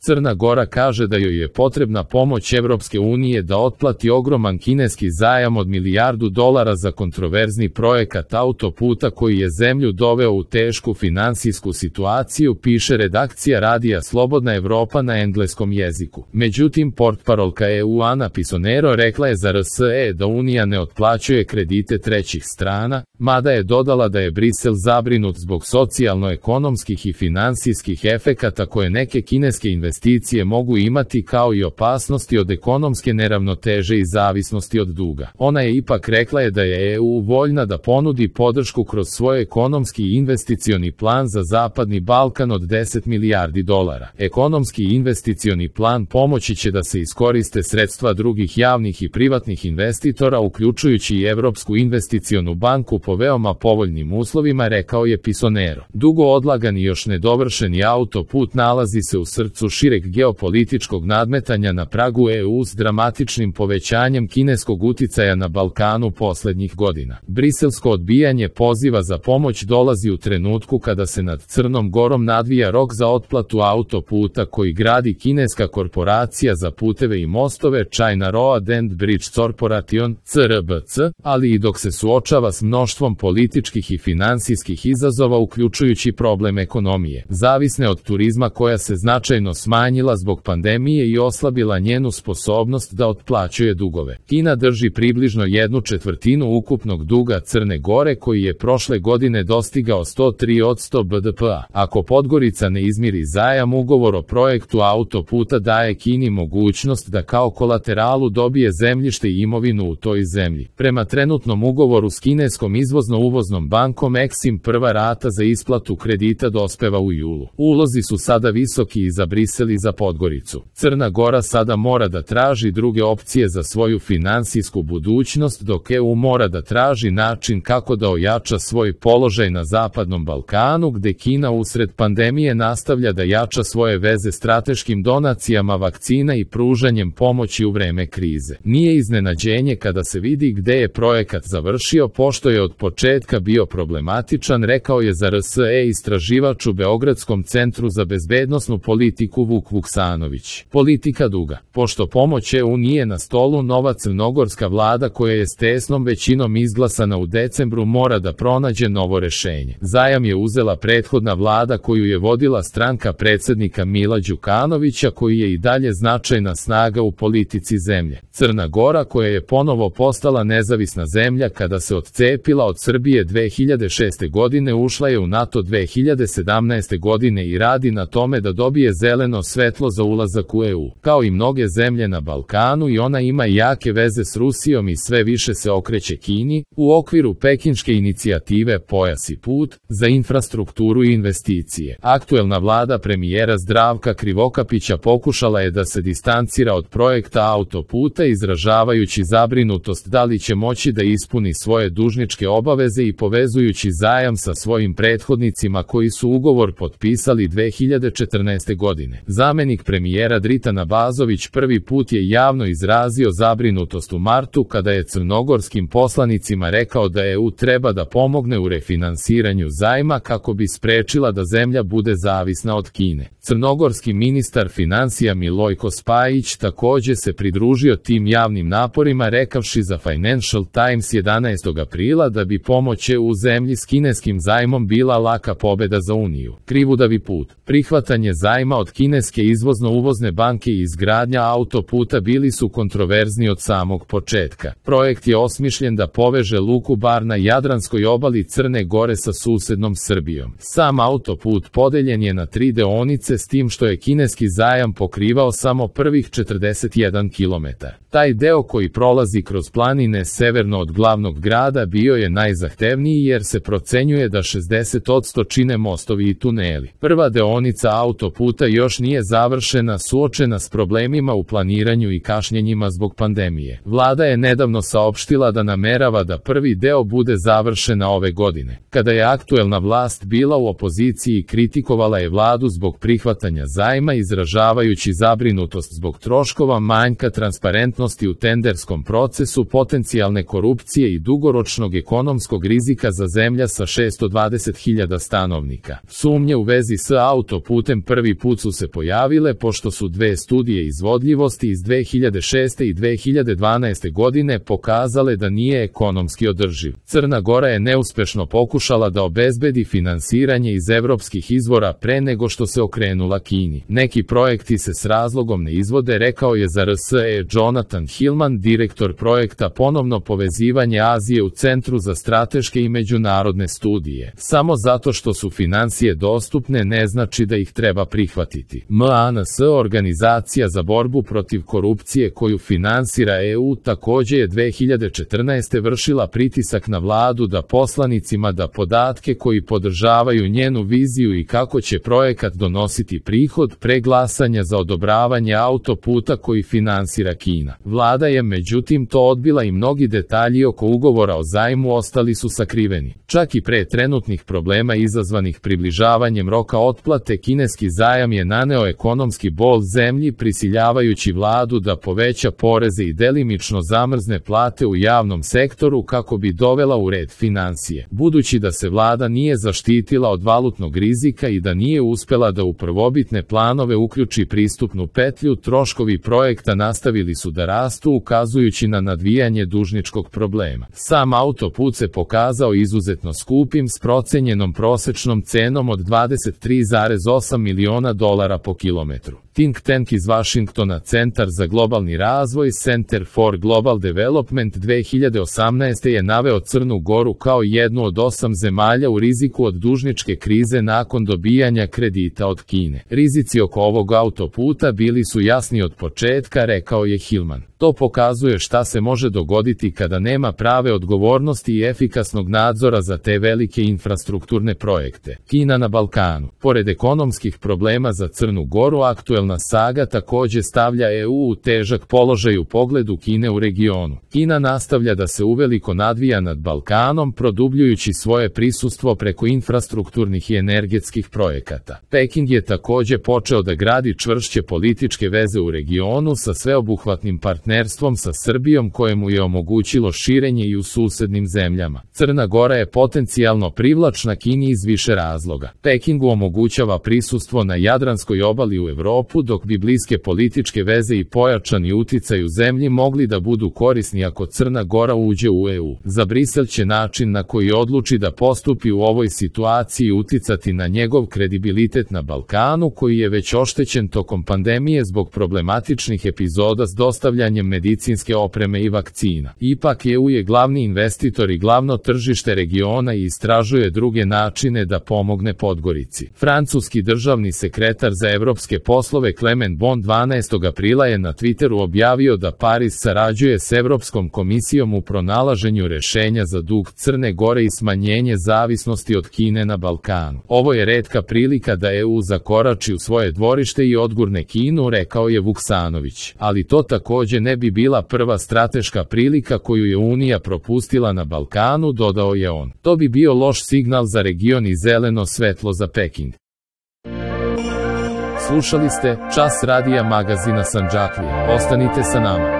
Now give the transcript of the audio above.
Crna Gora kaže da joj je potrebna pomoć Evropske unije da otplati ogroman kineski zajam od $1 milijardu za kontroverzni projekat autoputa koji je zemlju doveo u tešku finansijsku situaciju, piše redakcija radija Slobodna Evropa na engleskom jeziku. Međutim, portparolka EU Ana Pisonero rekla je za RSE da Unija ne otplaćuje kredite trećih strana, mada je dodala da je Brisel zabrinut zbog socijalno-ekonomskih i finansijskih efekata koje neke kineske investicije mogu imati, kao i opasnosti od ekonomske neravnoteže i zavisnosti od duga. Ona je ipak rekla da je EU voljna da ponudi podršku kroz svoj ekonomski i investicioni plan za Zapadni Balkan od $10 milijardi. Ekonomski i investicioni plan pomoći će da se iskoriste sredstva drugih javnih i privatnih investitora, uključujući i Evropsku investicionu banku po veoma povoljnim uslovima, rekao je Pisonero. Dugo odlagan i još nedovršeni autoput nalazi se u srcu šireg geopolitičkog nadmetanja na pragu EU s dramatičnim povećanjem kineskog uticaja na Balkanu poslednjih godina. Briselsko odbijanje poziva za pomoć dolazi u trenutku kada se nad Crnom Gorom nadvija rok za otplatu autoputa koji gradi kineska korporacija za puteve i mostove China Road and Bridge Corporation, CRBC, ali i dok se suočava s mnoštvom političkih i finansijskih izazova, uključujući problem ekonomije, zavisne od turizma koja se značajno smanjila zbog pandemije i oslabila njenu sposobnost da otplaćuje dugove. Kina drži približno 1/4 ukupnog duga Crne Gore koji je prošle godine dostigao 103% BDP-a. Ako Podgorica ne izmiri zajam, ugovor o projektu autoputa daje Kini mogućnost da kao kolateralu dobije zemljište i imovinu u toj zemlji. Prema trenutnom ugovoru s kineskom izvozno-uvoznom bankom Exim, prva rata za isplatu kredita dospeva u julu. Ulozi su sada visoki i za Brisel i za Podgoricu. Crna Gora sada mora da traži druge opcije za svoju finansijsku budućnost, dok EU mora da traži način kako da ojača svoj položaj na Zapadnom Balkanu, gde Kina usred pandemije nastavlja da jača svoje veze strateškim donacijama vakcina i pružanjem pomoći u vreme krize. Nije iznenađenje kada se vidi gde je projekat završio, pošto je od početka bio problematičan, rekao je za RSE istraživač u Beogradskom centru za bezbednosnu politiku Vuk Vuksanović. Politika duga. Pošto pomoć EU nije na stolu, nova crnogorska vlada koja je s tesnom većinom izglasana u decembru mora da pronađe novo rešenje. Zajam je uzela prethodna vlada koju je vodila stranka predsednika Mila Đukanovića, koji je i dalje značajna snaga u politici zemlje. Crna Gora, koja je ponovo postala nezavisna zemlja kada se odcepila od Srbije 2006. godine, ušla je u NATO 2017. godine i radi na tome da dobije zeleno svetlo za ulazak u EU. Kao i mnoge zemlje na Balkanu, i ona ima jake veze s Rusijom i sve više se okreće Kini, u okviru pekinške inicijative Pojas i put, za infrastrukturu i investicije. Aktuelna vlada premijera Zdravka Krivokapića pokušala je da se distancira od projekta autoputa, izražavajući zabrinutost da li će moći da ispuni svoje dužničke obaveze i povezujući zajam sa svojim prethodnicima koji su ugovor potpisali 2014. godine. Zamenik premijera Dritan Abazović prvi put je javno izrazio zabrinutost u martu kada je crnogorskim poslanicima rekao da EU treba da pomogne u refinansiranju zajma kako bi sprečila da zemlja bude zavisna od Kine. Crnogorski ministar finansija Milojko Spajić takođe se pridružio tim javnim naporima, rekavši za Financial Times 11. aprila da bi pomoć EU zemlji s kineskim zajmom bila laka pobeda za Uniju. Krivudavi put. Prihvatanje zajma od kineske izvozno-uvozne banke i izgradnja autoputa bili su kontroverzni od samog početka. Projekt je osmišljen da poveže luku Bar na Jadranskoj obali Crne Gore sa susednom Srbijom. Sam autoput podeljen je na 3 deonice, s tim što je kineski zajam pokrivao samo prvih 41 km. Taj deo koji prolazi kroz planine severno od glavnog grada bio je najzahtevniji jer se procenjuje da 60% čine mostovi i tuneli. Prva deonica autoputa još nije završena, suočena s problemima u planiranju i kašnjenjima zbog pandemije. Vlada je nedavno saopštila da namerava da prvi deo bude završena ove godine. Kada je aktuelna vlast bila u opoziciji, kritikovala je vladu zbog prihvatanja prihvatanja zajma izražavajući zabrinutost zbog troškova, manjka transparentnosti u tenderskom procesu, potencijalne korupcije i dugoročnog ekonomskog rizika za zemlja sa 620.000 stanovnika. Sumnje u vezi s autoputem prvi put su se pojavile pošto su dve studije izvodljivosti iz 2006. i 2012. godine pokazale da nije ekonomski održiv. Crna Gora je neuspešno pokušala da obezbedi finansiranje iz evropskih izvora pre nego što se okrenula Kini. Neki projekti se s razlogom ne izvode, rekao je za RSE Jonathan Hillman, direktor projekta Ponovno povezivanje Azije u Centru za strateške i međunarodne studije. Samo zato što su financije dostupne ne znači da ih treba prihvatiti. MANS, organizacija za borbu protiv korupcije koju finansira EU, takođe je 2014. vršila pritisak na vladu da poslanicima da podatke koji podržavaju njenu viziju i kako će projekat donositi prihod pre glasanja za odobravanje autoputa koji finansira Kina. Vlada je međutim to odbila i mnogi detalji oko ugovora o zajmu ostali su sakriveni. Čak i pre trenutnih problema izazvanih približavanjem roka otplate, kineski zajam je naneo ekonomski bol zemlji, prisiljavajući vladu da poveća poreze i delimično zamrzne plate u javnom sektoru kako bi dovela u red finansije. Budući da se vlada nije zaštitila od valutnog rizika i da nije uspela da u prvobitne planove uključi pristupnu petlju, troškovi projekta nastavili su da rastu, ukazujući na nadvijanje dužničkog problema. Sam autoput se pokazao izuzetno skupim s procenjenom prosečnom cenom od $23,8 miliona po kilometru. Think tank iz Vašingtona, Centar za globalni razvoj Center for Global Development 2018. je naveo Crnu Goru kao jednu od 8 zemalja u riziku od dužničke krize nakon dobijanja kredita od Kine. Rizici oko ovog autoputa bili su jasni od početka, rekao je Hillman. To pokazuje šta se može dogoditi kada nema prave odgovornosti i efikasnog nadzora za te velike infrastrukturne projekte. Kina na Balkanu. Pored ekonomskih problema za Crnu Goru, aktuelna saga takođe stavlja EU u težak položaj u pogledu Kine u regionu. Kina nastavlja da se uveliko nadvija nad Balkanom, produbljujući svoje prisustvo preko infrastrukturnih i energetskih projekata. Peking je takođe počeo da gradi čvršće političke veze u regionu sa sveobuhvatnim partnerstvom sa Srbijom kojemu je omogućilo širenje i u susednim zemljama. Crna Gora je potencijalno privlačna Kini iz više razloga. Pekingu omogućava prisustvo na Jadranskoj obali u Evropu, dok bi bliske političke veze i pojačani uticaj u zemlji mogli da budu korisni ako Crna Gora uđe u EU. Za Brisel će način na koji odluči da postupi u ovoj situaciji uticati na njegov kredibilitet na Balkanu, koji je već oštećen tokom pandemije zbog problematičnih epizoda s dostavljanjem medicinske opreme i vakcina. Ipak EU je glavni investitor i glavno tržište regiona i istražuje druge načine da pomogne Podgorici. Francuski državni sekretar za evropske poslove Clement Bon 12. aprila je na Twitteru objavio da Pariz sarađuje s Evropskom komisijom u pronalaženju rešenja za dug Crne Gore i smanjenje zavisnosti od Kine na Balkanu. Ovo je retka prilika da EU zakorači u svoje dvorište i odgurne Kinu, rekao je Vuksanović. Ali to takođe ne bi bila prva strateška prilika koju je Unija propustila na Balkanu, dodao je on. To bi bio loš signal za region i zeleno svetlo za Peking. Slušali ste Čas radija magazina Sandžaklije. Ostanite sa nama.